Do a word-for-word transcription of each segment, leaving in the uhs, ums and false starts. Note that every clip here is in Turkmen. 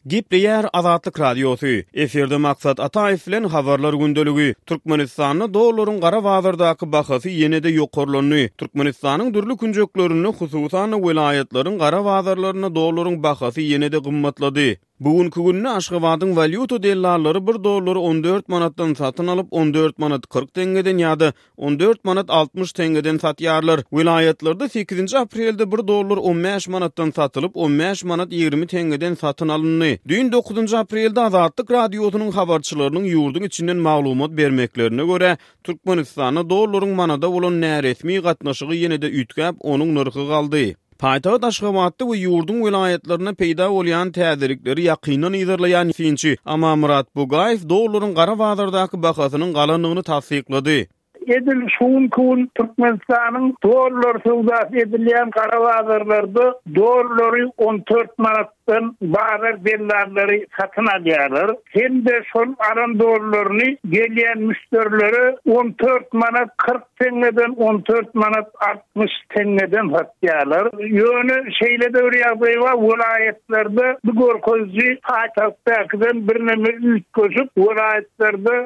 Gepleýär Azatlyk Radiosy. Efirde Maksat Ataýew bilen Habarlar gündeligi. Türkmenistanda dollaryň gara bazardaky bahasy ýene-de ýokarlandy. Türkmenistanyň dürli künjeklerinde, hususan-da welaýatlaryň gara bazarlarynda dollaryň bahasy ýene-de gymmatlady. Bu günki günde Aşgabadyň walýuta dellallary bir dollary on dört manatdan satyn alyp, on dört manat kyrk teňňeden ýa-da on dört manat altmyş teňňeden satýarlar. Welaýatlarda sekizinji aprelde bir dollar on bäş manatdan satylyp, on bäş manat ýigrimi teňňeden satyn alyndy. Düýn dokuzynjy aprelde Azatlyk Radiosynyň habarçylarynyň ýurduň içinden maglumat bermeklerine görä, Türkmenistanda dollaryň manada bolan näresmi gatnaşygy ýene-de üýtgäp, onuň nyrhy galdy. Paýtagt Aşgabatda we ýurduň welaýatlarynda peýda bolýan täzelikleri ýakyndan yzarlaýan synçy Amanmyrat Bugaýew dollaryň gara bazardaky bahasynyň galandygyny tassyklady. Edil şu günki gün Türkmenistanyň dollar söwdasy edilýän gara bazarlarda dollary on dört manatdan bazar dellallary satyn alýarlar. Hem-de şol alan dollaryny gelýän müşderilere on dört manat kyrk teňňeden on dört manat altmyş teňňeden satýarlar. Ýöne şeýle-de bir ýagdaý bar, welaýatlarda bu görkeziji paýtagtdakydan birneme üýtgeşik, welaýatlarda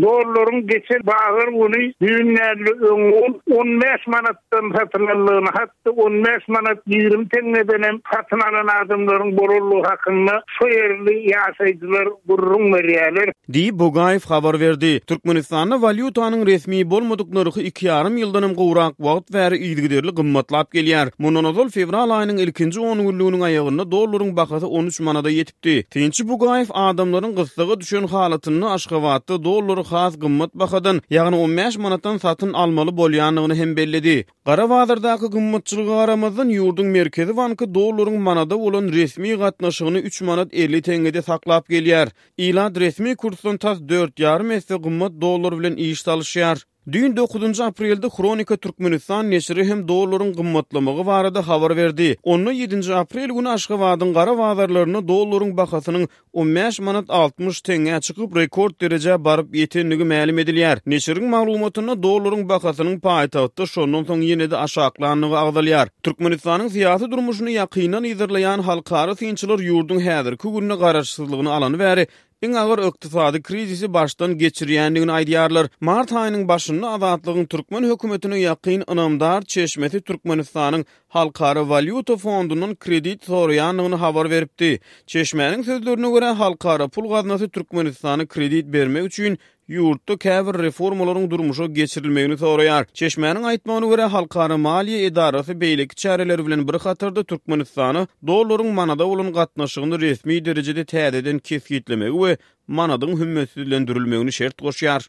dollaryň geçen bazar güni düýn öňňun on bäş manatdan satylandygyny, hatda on bäş manat ýigrimi teňňeden hem satyn alan adamlaryň bolanlygy hakynda şo ýerli ýaşaýjylar gürrüň berýärler. Diýip, Bugaýew habar berdi. Türkmenistanda walýutanyň resmi bolmadyk nyrhy iki ýarym ýyldan hem gowrak wagt bäri yzygiderli gymmatlap gelýär. Mundan ozal fewral aýynyň ilkinji on günlüginiň aýagynda dollaryň bahasy on üç manada ýetipdi. Synçy Bugaýew adamlaryň gyssaga düşen halatynda Aşgabatda dollary has gymmat bahadan, ýagny on bäş manatdan satyn almaly bolýandygyny hem belledi. Gara bazardaky gymmatçylyga garamazdan ýurduň Merkezi banky dollaryň manada bolan resmi gatnaşygyny üç manat elli teňňede saklap gelýär. Ilat resmi kursdan tas dört ýarym esse gymmat dollar bilen iş salyşýar. Düýn dokuzynjy aprelde Hronika Türkmenistan neşiri hem dollaryň gymmatlamagy barada habar berdi. Onda ýedinji aprel güni Aşgabadyň gara bazarlarynda dollaryň bahasynyň on bäş manat altmyş teňňä çykyp rekord derejä baryp ýetendigi mälim edilýär. Neşiriň maglumatynda dollaryň bahasynyň paýtagtda şondan soň ýene-de aşaklandygy agzalýar. Türkmenistanyň syýasy durmuşyny ýakyndan yzarlaýan halkara synçylar ýurduň häzirki günde garaşsyzlygyny alany bäri iň agyr ykdysady krizisi başdan geçirýändigini aýdýarlar. Mart aýynyň başynda Azatlygyň türkmen hökümetine ýakyn ynamdar çeşmesi Türkmenistanyň Halkara walýuta fondundan kredit soraýandygyny habar beripdi. Çeşmäniň sözlerine görä, Halkara pul gaznasy Türkmenistana kredit bermek üçin ýurtda käbir reformalaryň durmuşa geçirilmegini soraýar. Çeşmäniň aýtmagyna görä, Halkara maliýe edarasy beýleki çäreler bilen bir hatarda Türkmenistana dollaryň manada bolan gatnaşygyny resmi derejede täzeden kesgitlemegi we manadyň hümmetsizlendirilmegini şert goşýar.